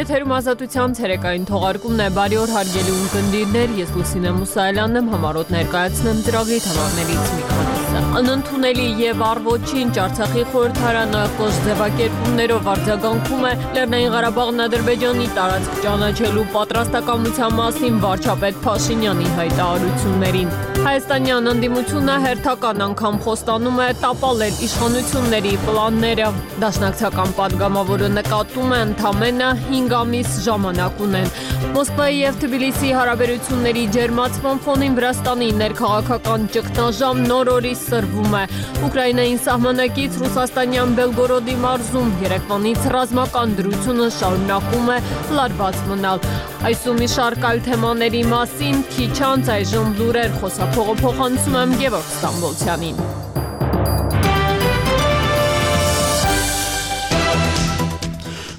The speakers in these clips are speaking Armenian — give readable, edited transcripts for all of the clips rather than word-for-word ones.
Եթերում ազատության ցերեկային թողարկումն է, բարի օր հարգելի ունկնդիրներ, ես Լուսինե Մուսայելյանն եմ, համառոտ ներկայացնեմ ծրագրի թեմաներից մի քանիսը։ Անընդունելի եւ առ-ոչինչ Արցախի խորհրդարանը կոշտ ձևակերպումներով արձագանքում է Լեռնային Ղարաբաղն Ադրբեջանի տարածք ճանաչելու պատրաստակամության մասին վարչապետ Փաշինյանի հայտարարություններին։ Հայաստանյան ընդդիմությունը հերթական անգամ խոստանում է տապալել իշխանությունների պլանները։ Դաշնակցական պատգամավորը նկատում է ընդամենը 5 ամիս ժամանակ ունեն։ Մոսկվայի եւ Թբիլիսիի հարաբերությունների ջերմացման ֆոնին Վրաստանի ներքաղաքական ճգնաժամ նոր օրի սրվում է։ Ուկրաինային սահմանակից ռուսաստանյան Բելգորոդի մարզում երեկվանից ռազմական դրությունը շարունակում է լարված մնալ։ Այս ու մի շարք այլ թեմաների մասին քիչ անց այժմ լուրեր խոսափողը փոխանցում եմ Գևորգ Ստամբոլցյանին։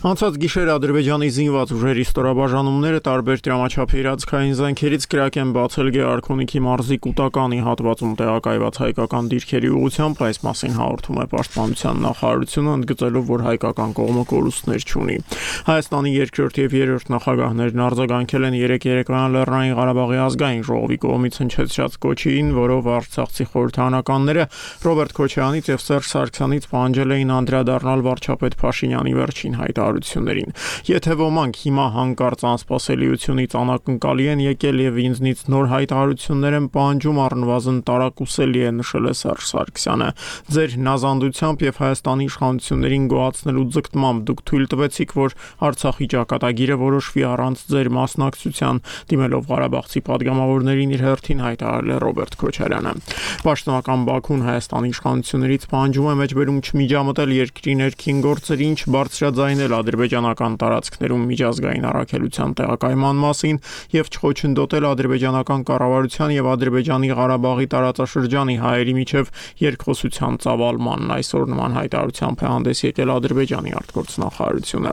Անցած գիշեր Ադրբեջանի զինված ուժերի ստորաբաժանումները տարբեր դրամաչափի իրացքային զենքերից կրակ են բացել Գեղարքունիքի մարզի Կուտականի հատվածում տեղակայված հայկական դիրքերի ուղղությամբ, այս մասին հաղորդում է Պաշտպանության նախարարությունը, ընդգծելով, որ հայկական կողմը կորուստներ չունի։ Հայաստանի երկրորդ եւ երրորդ նախագահներն արձագանքել են երեկոյան Լեռնային Ղարաբաղի ազգային ժողովի կողմից հնչեցրած կոչին, որով արցախցի խորհրդարանականները Ռոբերտ Քոչարյանից եւ Սերժ Սարգսյանից պահանջել էին անդրադառնալ վարչապետ Փաշինյանի վերջին հայտարարություններին։ Եթե ոմանք հիմա հանկարծ անսպասելիությունից անակնկալի են եկել եւ ինձնից նոր հայտարարություններ են պահանջում, առնվազն տարակուսելի է, նշել է Սերժ Սարգսյանը։ Ձեր հնազանդությամբ եւ Հայաստանի իշխանություններին գոհացնելու ձգտմամբ դուք թույլ տվեցիք, որ Արցախի ճակատագիրը որոշվի առանց ձեր մասնակցության, դիմելով Ղարաբաղցի падգամավորներին իր հերթին հայտարարել է Ռոբերտ Քոչարյանը։ Պաշտոնական Բաքուն Հայաստանի իշխանություններից պահանջում է մեջբերում չմիջամտել երկրի ներքին գործերին, չբարձրաձայնել ադրբեջանական տարածքներում միջազգային առաքելության տեղակայման մասին եւ չխոչընդոտել ադրբեջանական կառավարության եւ Ադրբեջանի Ղարաբաղի տարածաշրջանի հայերի միջև երկխոսության ծավալմանն։ Այսօր նման հայտարարությամբ է հանդես եկել Ադրբեջանի արտգործնախարարությունը։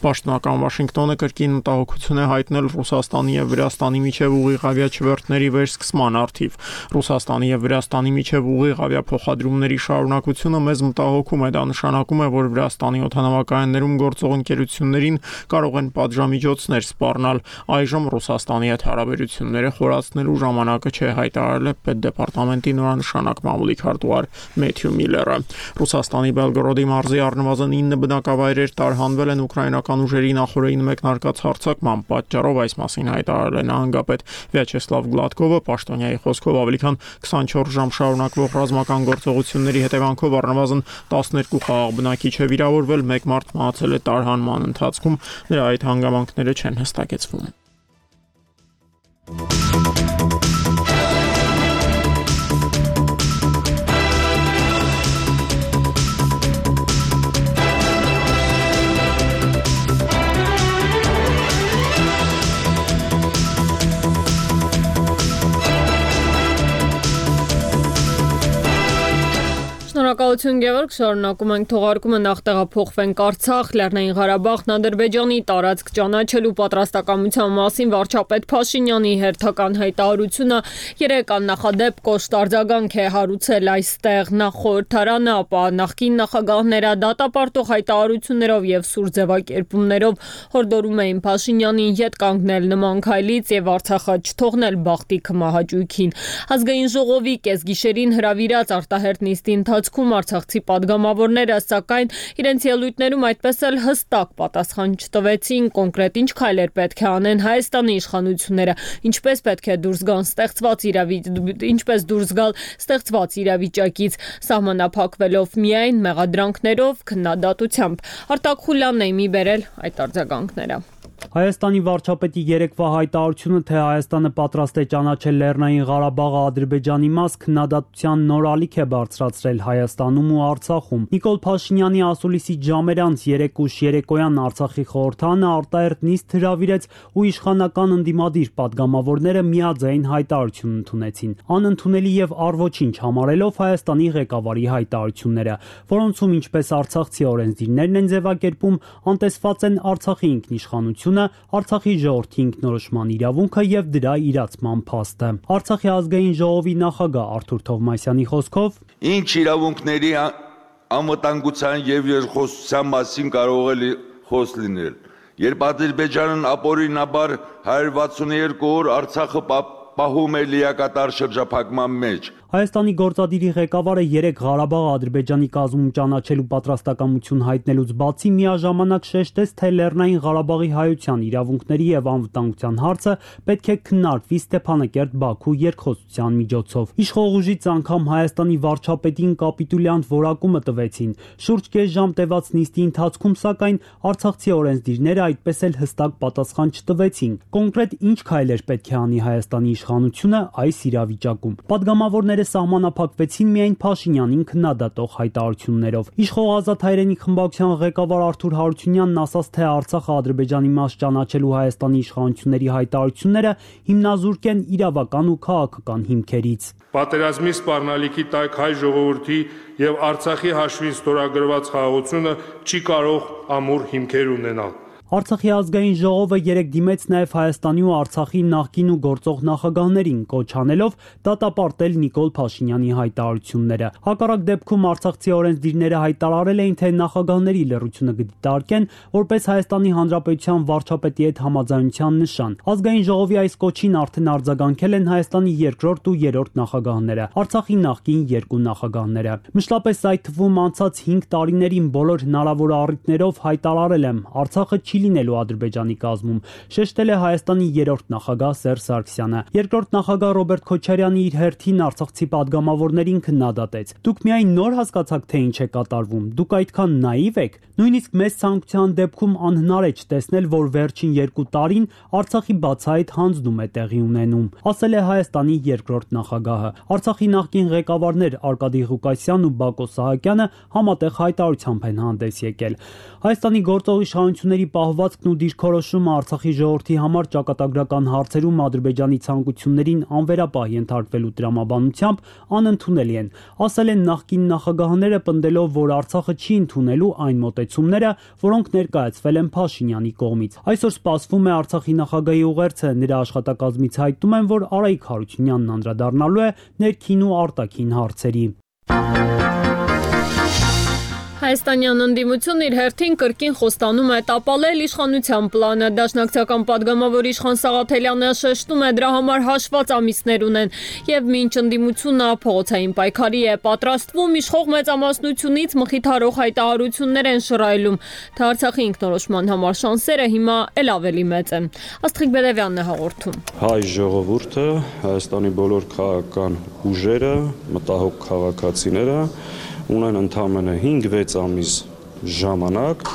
Պաշտոնական Վաշինգտոնը կրկին մտահոգություն է հայտնել Ռուսաստանի եւ Վրաստանի միջև ուղիղ չվերթների վերսկսման առթիվ։ Ռուսաստանի եւ Վրաստանի միջև ուղիղ ավիափոխադրումների շարունակությունը մեզ մտահոգում է, դա նշանակում է, որ Վրաստանի օդանավակայաններում գործող ընկերություններին կարող են պատժամիջոցներ սպառնալ։ Այժմ Ռուսաստանի հետ հարաբերությունները խորացնելու ժամանակը չէ, հայտարարել է Պետդեպարտամենտի նորանշանակ մամուլի քարտուղար Մեթյու Միլլերը։ Ռուսաստանի Բելգորոդի մարզի առնվազն 9 բնակավայրեր տարհանվել են ուկրաինական ուժերի նախօրեին մեկնարկած հարձակման պատճառով, այս մասին հայտարարել է նահանգապետ Վյաչեսլավ Գլադկովը։ Պաշտոնյայի խոսքով ավելի քան 24 ժամ շարունակվող ռազմական գործողությունների հետևանքով առնվազն 12 խաղաղ բնակիչ է վիրավորվել, 1 մարդ մահացել է տարհանման ընթացքում, նրա այդ հանգամանքները չեն հստակեցվում։ Շնորհակալություն Գևորգ, շարունակում ենք թողարկումը, նախ տեղափոխվենք Արցախ, Լեռնային Ղարաբաղն Ադրբեջանի տարածք ճանաչելու պատրաստակամության մասին վարչապետ Փաշինյանի հերթական հայտարարությունը երեկ աննախադեպ կոշտ արձագանք է հարուցել այստեղ նախ խորհրդարանը, ապա նախկին նախագահները դատապարտող հայտարարություններով եւ սուր ձևակերպումներով հորդորում էին Փաշինյանին ետ կանգնել նման քայլից եւ Արցախը չթողնել բախտի քմահաճույքին։ Ազգային ժողովի կեսգիշերին հրավիրած արտահերթ նիստի ընթացքում արցախցի падգամավորները, սակայն իրենց ելույթներում այդպես էլ հստակ պատասխան չտվեցին կոնկրետ ինչ քայլեր պետք է անեն Հայաստանի իշխանությունները, ինչպես պետք է դուրս գալ ստեղծված իրավիճակից, սահմանափակվելով միայն մեղադրանքներով, քննադատությամբ։ Արտակ Խուլյանն է մի բերել այդ արձագանքները։ Հայաստանի վարչապետի երեկվա հայտարարությունը, թե Հայաստանը պատրաստ է ճանաչել Լեռնային Ղարաբաղը Ադրբեջանի մաս, քննադատության նոր ալիք է բարձրացրել Հայաստանում ու Արցախում։ Նիկոլ Փաշինյանի ասուլիսից ժամեր անց երեկուշ երեկոյան Արցախի խորհրդարանը արտահերթ նիստ հրավիրեց ու իշխանական ընդդիմադիր падգամավորները միաձայն հայտարարություն ընդունեցին, անընդունելի եւ առ-ոչինչ համարելով Հայաստանի ղեկավարի հայտարարությունները, որոնցում ինչպես արցախցի օրենսդիրներն են ձևակերպում, անտեսված են Արցախի ինքնիշխանությունը, Արցախի ժողովրդի ինքնորոշման իրավունքը եւ դրա իրացման փաստը։ Արցախի ազգային ժողովի նախագահ Արթուր Թովմասյանի խոսքով ինչ իրավունքների անվտանգության եւ երկխոսության մասին կարող է խոսք լինել։ Երբ Ադրբեջանն ապօրինաբար 162 օր Արցախը պահում է լիակատար շրջափակման մեջ։ Հայաստանի գործադիրի ղեկավարը 3 Ղարաբաղը Ադրբեջանի կազմում ճանաչելու պատրաստակամություն հայտնելուց բացի միաժամանակ շեշտեց, թե Լեռնային Ղարաբաղի հայության իրավունքների եւ անվտանգության հարցը պետք է քննարկվի Ստեփանակերտ-Բաքու երկխոսության միջոցով։ Իշխող ուժից անգամ Հայաստանի վարչապետին կապիտուլյանտ որակումը տվեցին։ Շուրջ կես ժամ տևած նիստի ընթացքում, սակայն արցախցի օրենսդիրները այդպես էլ հստակ պատասխան չտվեցին։ Կոնկրետ ինչ քայլեր պետք է անի Հայաստանի իշխանությունը այս իրավիճակում։ Պատգամավորները սահմանափակվեցին միայն Փաշինյանին քննադատող հայտարարություններով։ Իշխող Ազատ հայրենիք խմբակցության ղեկավար Արթուր Հարությունյանն ասաց, թե Արցախը Ադրբեջանի մաս ճանաչելու Հայաստանի իշխանությունների հայտարարությունները հիմնազուրկ են իրավական ու քաղաքական հիմքերից։ Պատերազմի սպառնալիքի տակ հայ ժողովրդի եւ Արցախի հաշվին ստորագրված խաղաղությունը չի կարող ամուր հիմքեր ունենալ։ Արցախի ազգային ժողովը 3 դիմեց նաև Հայաստանի ու Արցախի նախկին ու գործող նախագահներին, կոչ անելով դատապարտել Նիկոլ Փաշինյանի հայտարարությունները։ Հակառակ դեպքում արցախցի օրենսդիրները հայտարարել էին, թե նախագահների լռությունը կդիտարկեն որպես Հայաստանի Հանրապետության վարչապետի հետ համաձայնության նշան։ Ազգային ժողովի այս կոչին արդեն արձագանքել են Հայաստանի երկրորդ ու երրորդ նախագահները, Արցախի նախկին 2 նախագահները։ Մշտապես այդ թվում անցած 5 տարիներին բոլոր հնարավոր առիթներով հայտարարել եմ, Արցախը չի լինելու Ադրբեջանի կազմում, շեշտել է Հայաստանի երրորդ նախագահ Սերժ Սարգսյանը։ Երկրորդ նախագահ Ռոբերտ Քոչարյանը իր հերթին արցախցի падգամավորներին քննադատեց։ Դուք միայն նոր հասկացաք, թե ինչ է կատարվում։ Դուք այդքան նաիվ եք։ Նույնիսկ մեծ ցանկության դեպքում անհնար է չտեսնել, որ վերջին 2 տարին Արցախի բացահայտ հանձնում է տեղի ունենում, ասել է Հայաստանի երկրորդ նախագահը։ Արցախի նախկին ղեկավարներ Արկադի Ղուկասյանն ու Բակո Սահակյանը համատեղ հայտարարությամբ են հանդես եկել։ Հայաստանի գործող իշխանությունների պահվածքն ու դիրքորոշումը Արցախի ժողովրդի համար ճակատագրական հարցերում Ադրբեջանի ցանկություններին անվերապահ ենթարկվելու տրամաբանությամբ անընդունելի են, ասել են նախկին նախագահները, պնդելով, որ Արցախը չի ընդունելու այն մոտեցումները, որոնք ներկայացվել են Փաշինյանի կողմից։ Այսօր սպասվում է Արցախի նախագահի ուղերձը, նրա աշխատակազմից հայտնում են, որ Արայիկ Հարությունյանն անդրադառնալու է ներքին ու արտաքին հարցերի։ Հայաստանյան ընդդիմությունն իր հերթին կրկին խոստանում է տապալել իշխանության պլանը։ Դաշնակցական падգամավոր Իշխան Սաղաթելյանը շեշտում է, դրա համար հաշված ամիսներ ունեն եւ մինչ ընդդիմությունը փողոցային պայքարի է պատրաստվում, իշխող մեծամասնությունից մխիթարող հայտարարություններ են շռայլում, թե Արցախի ինքնորոշման համար շանսերը հիմա էլ ավելի մեծ են։ Աստղիկ Բերևյանն է հաղորդում։ Հայ ժողովուրդը, Հայաստանի բոլոր քաղաքական ուժերը, մտահոգ քաղաքացիները ունեն ընդամենը 5-6 ամիս ժամանակ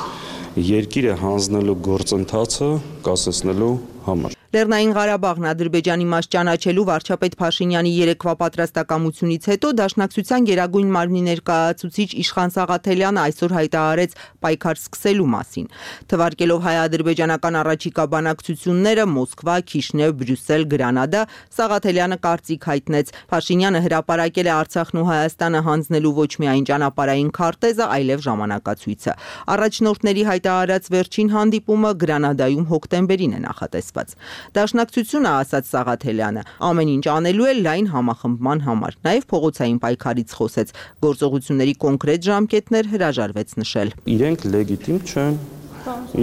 երկիրը հանձնելու գործընթացը կասեցնելու համար։ Լեռնային Ղարաբաղն Ադրբեջանի մաս ճանաչելու վարչապետ Փաշինյանի երեկվա պատրաստակամությունից հետո Դաշնակցության գերագույն մարմնի ներկայացուցիչ Իշխան Սաղաթելյանը այսօր հայտարարեց պայքար սկսելու մասին։ Թվարկելով հայ-ադրբեջանական առաջիկա բանակցությունները Մոսկվա, Քիշնև, Բրյուսել, Գրանադա, Սաղաթելյանը կարծիք հայտնեց։ Փաշինյանը հրապարակել է Արցախն ու Հայաստանը հանձնելու ոչ միայն ճանապարհային քարտեզը, այլև ժամանակացույցը։ Առաջնորդների հայտարարած վերջին հանդիպումը Գրանադայում հոկտեմբերին է նախատեսված։ Դաշնակցությունը, ասաց Սաղաթելյանը, ամեն ինչ անելու է լայն համախմբման համար։ Նաև փողոցային պայքարից խոսեց, գործողությունների կոնկրետ ժամկետներ հրաժարվեց նշել։ Իրենք լեգիտիմ չեն,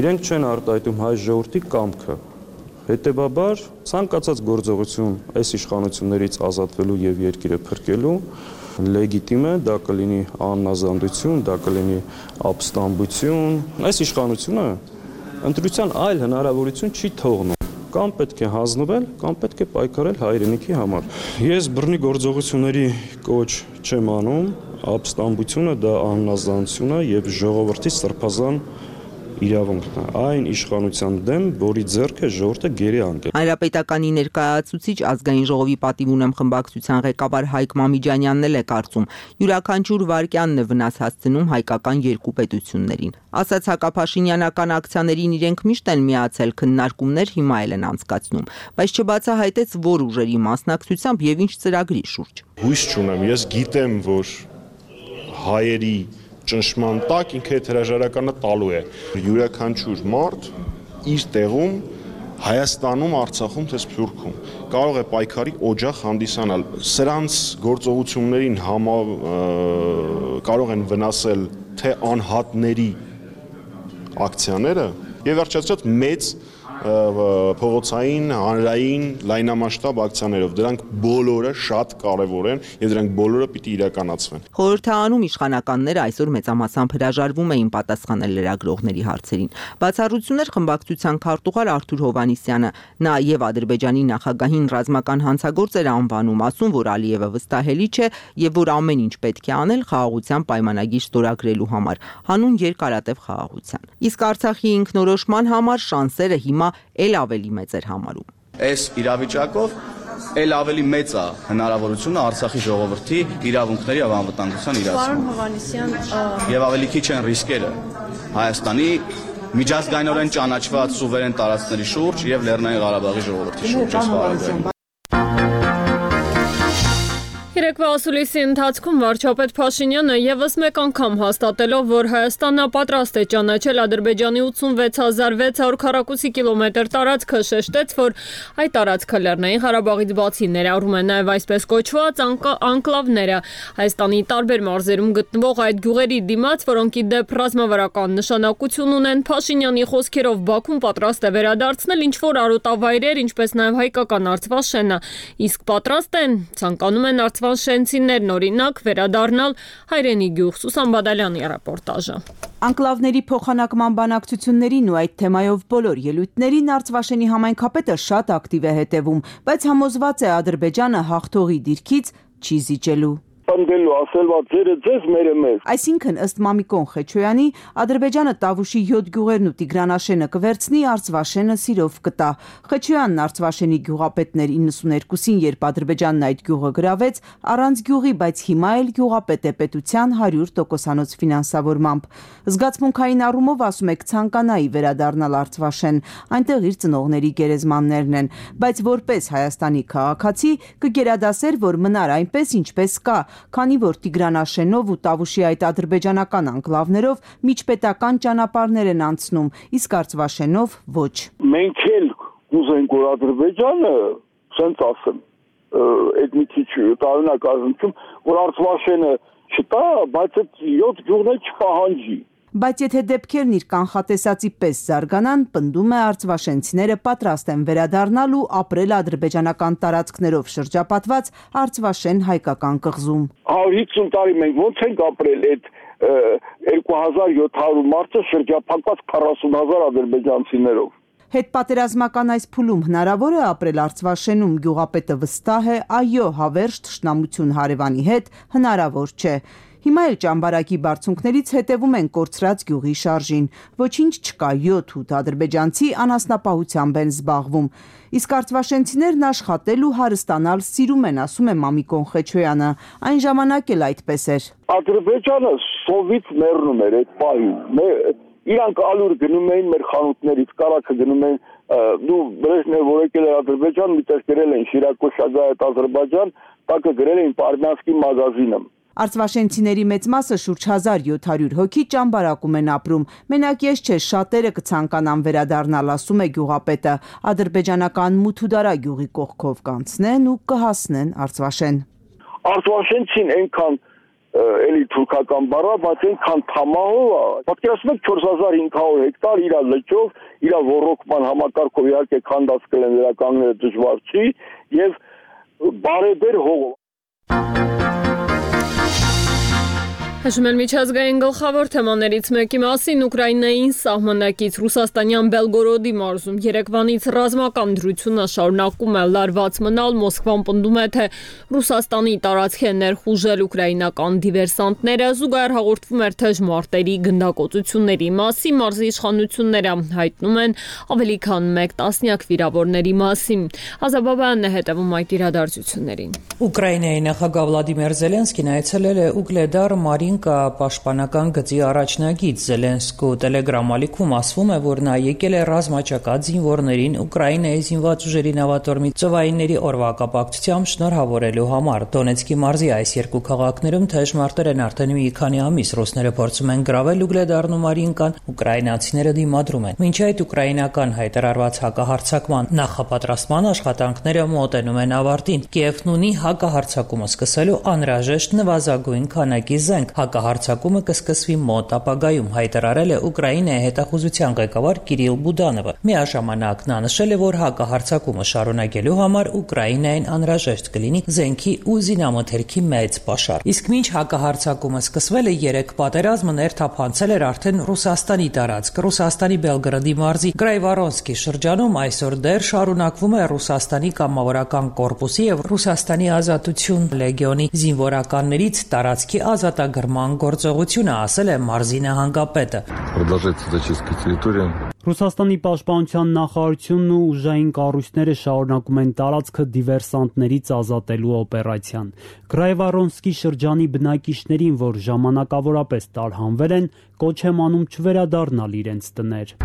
իրենք չեն արտահայտում հայ ժողովրդի կամքը։ Հետևաբար ցանկացած գործողություն այս իշխանություններից ազատվելու եւ երկիրը փրկելու լեգիտիմ է, դա կլինի աննազանդություն, դա կլինի ապստամբություն։ Այս իշխանությունը ընտրության այլ հնարավորություն չի թողնում։ Կամ պետք է հանձնվել, կամ պետք է պայքարել հայրենիքի համար։ Ես բռնի գործողությունների կոչ չեմ անում, ապստամբությունը դա աննազանություն է եւ ժողովրդի սրբազան իրավունքն է, այն իշխանության դեմ, որի ձեռքը ժողովուրդը գերի անկել։ Հանրապետականի ներկայացուցիչ ազգային ժողովի պատիվ ունեմ խմբակցության ղեկավար Հայկ Մամիջանյանն էլ է կարծում, յուրաքանչյուր վարքյանն է վնաս հասցնում հայկական երկու պետություններին։ Ասաց հակափաշինյանական ակցիաներին իրենք միշտ են միացել, քննարկումներ հիմա էլ են անցկացնում, բայց չբացահայտեց որ ուժերի մասնակցությամբ եւ ինչ ծրագրի շուրջ։ Հույս չունեմ, ես գիտեմ, որ հայերի ճնշման տակ ինքը այդ հրաժարականը տալու է։ Յուրաքանչյուր մարդ իր տեղում Հայաստանում, Արցախում, թե Սփյուռքում կարող է պայքարի օջախ հանդիսանալ։ Սրանց գործողություններին կարող են վնասել թե անհատների ակցիաները, եւ վերջացրած մեծ փողոցային, հանրային, լայնամասշտաբ ակցիաներով։ Դրանք բոլորը շատ կարևոր են եւ դրանք բոլորը պիտի իրականացվեն։ Խորհրդարանում իշխանականները այսօր մեծամասամբ հրաժարվում էին պատասխանել լրագրողների հարցերին։ Բացառություններ խմբակցության քարտուղար Արթուր Հովհաննիսյանը, նա եւ Ադրբեջանի նախագահին ռազմական հանցագործ էր անվանում, ասում, որ Ալիևը վստահելի չէ եւ որ ամեն ինչ պետք է անել խաղաղության պայմանագիր ստորագրելու համար, հանուն երկարատև խաղաղության։ Իսկ Արցախի ինքնորոշման համար շանսերը հիմա էլ ավելի մեծ էր համարում։ Այս իրավիճակով էլ ավելի մեծ է հնարավորությունը Արցախի ժողովրդի իրավունքների եւ անվտանգության իրացման։ Եվ ավելի քիչ են ռիսկերը Հայաստանի միջազգայինորեն ճանաչված սուվերեն տարածքների շուրջ եւ Լեռնային Ղարաբաղի ժողովրդի շուրջ։ Երեկվա ասուլիսի ընթացքում վարչապետ Փաշինյանը եւս մեկ անգամ հաստատելով, որ Հայաստանը պատրաստ է ճանաչել Ադրբեջանի 86600 քառակուսի կիլոմետր տարածքը, շեշտեց, որ այդ տարածքը Լեռնային Ղարաբաղից բացի ներառում է նաեւ այսպես կոչված անկլավները, Հայաստանի տարբեր մարզերում գտնվող այդ գյուղերի դիմաց, որոնք ի դեպ ռազմավարական նշանակություն ունեն, Փաշինյանի խոսքերով Բաքուն պատրաստ է վերադարձնել ինչ-որ արոտավայրեր, ինչպես նաեւ հայկական Արցվաշենը, իսկ պատրաստ են, ցանկանում են Շենցիներն օրինակ վերադառնալ հայրենի գյուղ։ Սուսան Բադալյանի ռեպորտաժը։ Անկլավների փոխանակման բանակցություններին ու այդ թեմայով բոլոր ելույթներին Արցվաշենի համայնքապետը շատ ակտիվ է հետևում, բայց համոզված է Ադրբեջանը հաղթողի դիրքից չի զիջելու։ Պնդելու ասելվա ձերը ձեզ մերը մեզ։ Այսինքն ըստ Մամիկոն Խեչոյանի Ադրբեջանը Տավուշի 7 գյուղերն ու Տիգրանաշենը կվերցնի, Արցվաշենը սիրով կտա։ Խեչոյանն Արցվաշենի գյուղապետներ 92-ին, երբ Ադրբեջանն այդ գյուղը գրավեց, առանց գյուղի, բայց հիմա էլ գյուղապետ է պետության 100%-անոց ֆինանսավորմամբ։ Զգացմունքային առումով ասում է կցանկանայի վերադառնալ Արցվաշեն, այնտեղ իր ծնողների գերեզմաններն են, բայց որպես Հայաստանի քաղաքացի կգերադասեր, որ մնար այնպես ինչպես կա, քանի որ Տիգրանաշենով ու Տավուշի այդ ադրբեջանական անկլավներով միջպետական ճանապարհներ են անցնում, իսկ Արցվաշենով ոչ։ Մենք էլ կուզենք, որ Ադրբեջանը, ասենց ասեմ, այդ մի քիչ տարօրինակ ազնվում, որ Արցվաշենը չտա, բայց այդ 7 գյուղներ չպահանջի։ Բայց եթե դեպքերն իր կանխատեսածի պես զարգանան, պնդում է արցվաշենցիները պատրաստ են վերադառնալ ու ապրել ադրբեջանական տարածքներով շրջապատված Արցվաշեն հայկական կղզում։ 150 տարի մենք ոնց ենք ապրել այդ 2700 մարդը շրջապատված 40000 ադրբեջանցիներով։ Հետպատերազմական այս փուլում հնարավոր է ապրել Արցվաշենում, գյուղապետը վստահ է, այո, հավերժ թշնամություն հարևանի հետ հնարավոր չէ։ Հիմա էլ ճամբարակի բարձունքներից հետևում են կորցրած գյուղի շարժին։ Ոչինչ չկա, 7-8 ադրբեջանցի անասնապահությամբ են զբաղվում։ Իսկ արցվաշենցիներն աշխատել ու հարստանալ սիրում են, ասում է Մամիկոն Խեչոյանը։ Այն ժամանակ էլ այդպես էր։ Ադրբեջանը սովից մեռնում էր այդ պահին։ Իրանք ալուր գնում էին մեր խանութներից, կարակը գնում էին, Բրեժնևը որ եկել էր Ադրբեջան, միտեղ գրել են Շիրակո Շագայետ Ադրբեջան, տակը գրել էին Պարմյանսկի մագազինը։ Արցվաշենցիների մեծ մասը շուրջ 1700 հոգի ճամբարակում են ապրում։ Մենակ ես չէ, շատերը կցանկանան վերադառնալ, ասում է գյուղապետը։ Ադրբեջանական Մութուդարա գյուղի կողքով կանցնեն ու կհասնեն Արցվաշեն։ Արցվաշենցին այնքան էլի թուրքական բառա, բայց այնքան թամահով է։ Պատկերացնում եք 4500 հեկտար իր լճով, իր ոռոգման համակարգով իհարկե քանդած կլեն վերականգնելը դժվար չի եւ բարեբեր հողով։ Հաշում են միջազգային գլխավոր թեմաներից մեկի մասին Ուկրաինային սահմանակից Ռուսաստանյան Բելգորոդի մարզում երեկվանից ռազմական դրությունը շարունակում է լարված մնալ, Մոսկվան պնդում է, թե Ռուսաստանի տարածք է ներխուժել ուկրաինական դիվերսանտները, զուգահեռ հաղորդվում էր թեժ մարտերի գնդակոծությունների մասին, մարզի իշխանությունները հայտնում են ավելի քան 1 տասնյակ վիրավորների մասին։ Ազաբաբյանն է հետևում այդ իրադարձություններին։ Ուկրաինայի նախագահ Վլադիմիր Զելենսկին այցելել է Ուգլեդար Մարինկա պաշտպանական գծի առաջնագիծ։ Զելենսկու տելեգրամ-ալիքում ասվում է, որ նա եկել է ռազմաճակատ զինվորներին Ուկրաինայի զինված ուժերի նավատորմի ծովայինների օրվա կապակցությամբ շնորհավորելու համար։ Դոնեցկի մարզի այս երկու քաղաքներում թեժ մարտեր են արդեն մի քանի ամիս։ Ռուսները փորձում են գրավել Ուգլեդարն ու Մարինկան, ուկրաինացիները դիմադրում են։ Մինչ այդ ուկրաինական հայտարարված հակահարձակման նախապատրաստման աշխատանքները մոտենում են ավարտին։ Կիևն ունի հակահարձակումը սկսելու անհրաժեշտ նվազագույն քանակի զենք։ հակահարձակումը կսկսվի մոտ ապագայում, հայտարարել է Ուկրաինայի հետախուզության ղեկավար Կիրիլ Բուդանովը։ Միաժամանակ նա նշել է, որ հակահարձակումը շարունակելու համար Ուկրաինային անհրաժեշտ կլինի զենքի ու զինամթերքի մեծ պաշար։ Իսկ մինչ հակահարձակումը սկսվել է, 3 պատերազմը ներթափանցել էր արդեն Ռուսաստանի տարածք։ Ռուսաստանի Բելգրադի մարզի Գրայվարոնսկի շրջանում այսօր դեռ շարունակվում է Ռուսաստանի կամավորական կորպուսի եւ Ռուսաստանի ազատություն լեգիոնի զինվորականներից տարածքի ազատագրման գործողությունը, ասել է մարզի նահանգապետը։ Ռուսաստանի պաշտպանության նախարարությունն ու ուժային կառույցները շարունակում են տարածքը դիվերսանտներից ազատելու օպերացիան։ Գրայվարոնսկի շրջանի բնակիչներին, որ ժամանակավորապես տարհանվել են, կոչ եմ անում չվերադառնալ իրենց տներ։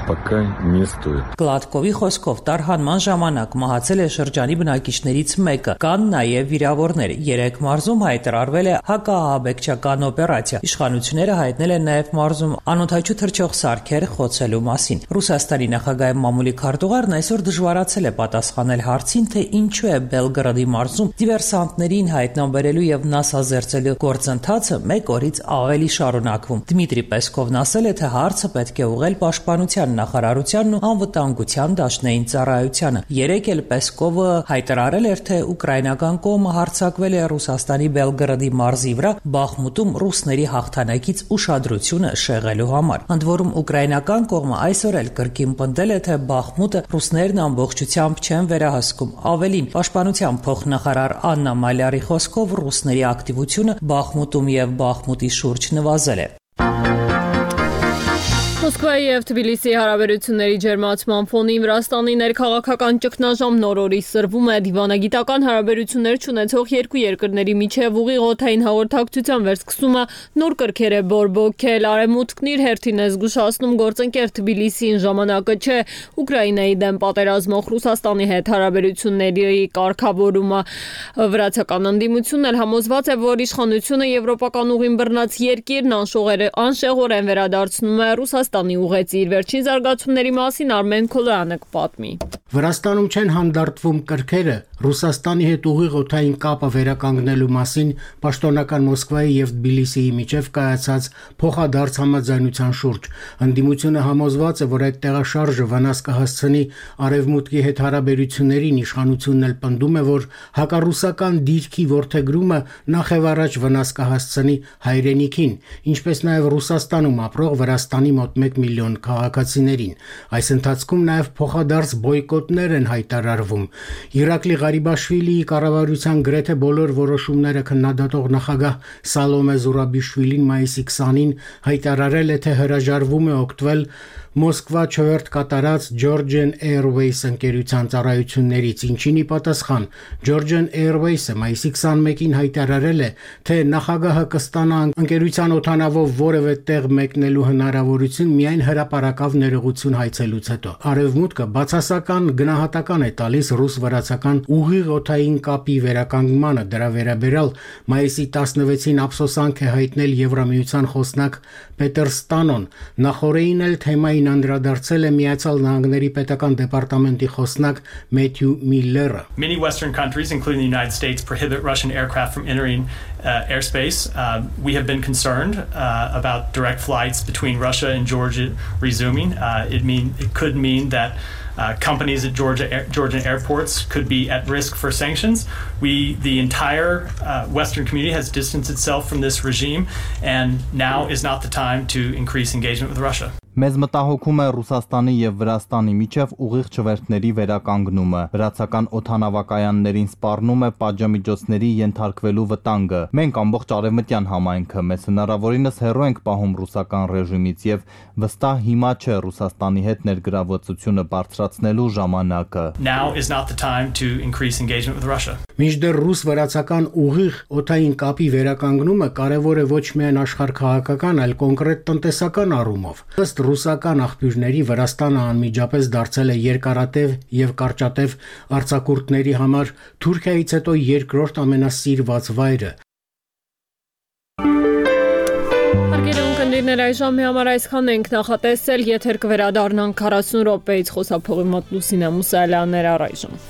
Գլադկովի խոսքով տարհանման ժամանակ մահացել է շրջանի բնակիչներից մեկը, կան նաև վիրավորներ։ 3 մարզում հայտարարվել է հակաահաբեկչական օպերացիա։ Իշխանությունները հայտնել են նաև մարզում անօդաչու թռչող սարքեր խոցելու մասին։ Ռուսաստանի նախագահի մամուլի քարտուղարն այսօր դժվարացել է պատասխանել հարցին, թե ինչու է Բելգրադի մարզում դիվերսանտներին հայտնաբերելու եւ նասազերծելու գործընթացը 1 օրից ավելի շարունակվում։ Դմիտրի Պեսկովն ասել է, թե հարցը պետք է ուղղել պաշտպանության նախարարությանն ու անվտանգության դաշնային ծառայությանը։ 3 էլ Պեսկովը հայտարարել էր, թե ուկրաինական կողմը հարձակվել է Ռուսաստանի Բելգրադի մարզի վրա Բախմուտում ռուսների հաղթանակից ուշադրությունը շեղելու համար։ Ընդ որում ուկրաինական կողմը այսօր էլ կրկին պնդել է, թե Բախմուտը ռուսներն ամբողջությամբ չեն վերահսկում։ Ավելին, պաշտպանության փոխնախարար Աննա Մալյարի խոսքով ռուսների ակտիվությունը Բախմուտում եւ Բախմուտի շուրջ նվազել է։ Մոսկվայի եւ Թբիլիսիի հարաբերությունների ջերմացման ֆոնին Վրաստանի ներքաղաքական ճգնաժամ նոր օրի սրվում է։ Դիվանագիտական հարաբերություններ չունեցող երկու երկրների միջև ուղիղ օդային հաղորդակցության վերսկսումը նոր կրքեր է բորբոքել։ Արևմուտքն իր հերթին է զգուշացնում գործընկեր Թբիլիսիին ժամանակը չէ Ուկրաինայի դեմ պատերազմող Ռուսաստանի հետ հարաբերությունների կարգավորումը։ Վրացական ընդդիմությունն էլ համոզված է, որ իշխանությունը եվրոպական ուղին բռնած երկիրն անշեղորեն վերադարձնում է Ռուսաստանի ուղեցիր։ Վերջին զարգացումների մասին Արմեն Քոլոյանը կպատմի։ Վրաստանում չեն հանդարտվում կրքերը Ռուսաստանի հետ ուղիղ օդային կապը վերականգնելու մասին պաշտոնական Մոսկվայի եւ Թբիլիսիի միջև կայացած փոխադարձ համաձայնության շուրջ։ Ընդդիմությունը համոզված է, որ այդ տեղաշարժը վնաս կհասցնի արևմուտքի հետ հարաբերություններին, իշխանությունն էլ պնդում է, որ հակառուսական դիրքի որդեգրումը նախևառաջ վնաս կհասցնի հայրենիքին, ինչպես նաեւ Ռուսաստանում ապրող Վրաստանի մոտ 1 միլիոն քաղաքացիներին։ Այս ընթացքում նաեւ փոխադարձ բոյկոտներ են հայտարարվում։ Իրակլի Ղարիբաշվիլիի կառավարության գրեթե բոլոր որոշումները քննադատող նախագահ Սալոմե Զուրաբիշվիլին մայիսի 20-ին հայտարարել է, թե հրաժարվում է օգտվել Մոսկվա չվերթ կատարած Georgian Airways ընկերության ծառայություններից, ինչին ի պատասխան Georgian Airways-ը մայիսի 21-ին հայտարարել է, թե նախագահը կստանա ընկերության օդանավով որևէ տեղ մեկնելու հնարավորություն միայն հրապարակավ ներողություն հայցելուց հետո։ Արևմուտքը բացասական գնահատական է տալիս ռուս-վրացական ուղիղ օդային կապի վերականգնմանը։ Դրա վերաբերյալ մայիսի 16-ին ափսոսանք է հայտնել Եվրամիության խոսնակ Պետեր Ստանոն։ Նախորդին էլ թեմային անդրադարձել է Միացյալ Նահանգների պետական դեպարտամենտի խոսնակ Մեթյու Միլլերը։ Many Western countries, including the United States, prohibit Russian aircraft from entering airspace. We have been concerned about direct flights between Russia and Georgia resuming. It could mean that companies at Georgian airports could be at risk for sanctions. The entire Western community has distanced itself from this regime, and now is not the time to increase engagement with Russia. Մեզ մտահոգում է Ռուսաստանի եւ Վրաստանի միջև ուղիղ չվերթների վերականգնումը։ Վրացական օդանավակայաններին սպառնում է պատժամիջոցների ենթարկվելու վտանգը։ Մենք ամբողջ արևմտյան համայնքը մեզ հնարավորինս հեռու ենք պահում ռուսական ռեժիմից եւ վստահ հիմա չէ Ռուսաստանի հետ ներգրավվածությունը բարձրացնելու ժամանակը։ Now is not the time to increase engagement with Russia. Մինչդեռ ռուս-վրացական ուղիղ օդային կապի վերականգնումը կարևոր է ոչ միայն աշխարհքաղաքական, այլ կոնկրետ տնտեսական առումով։ Ըստ ռուսական աղբյուրների Վրաստանը անմիջապես դարձել է երկարատև եւ կարճատև արձակուրդների համար Թուրքիայից հետո երկրորդ ամենասիրված վայրը։ Հարգելի այժմ համար այսքան ենք նախատեսել, եթեր կվերադառնանք 40 րոպեից խոսափողի մոտ Լուսինե Մուսալյաններ առայժմ։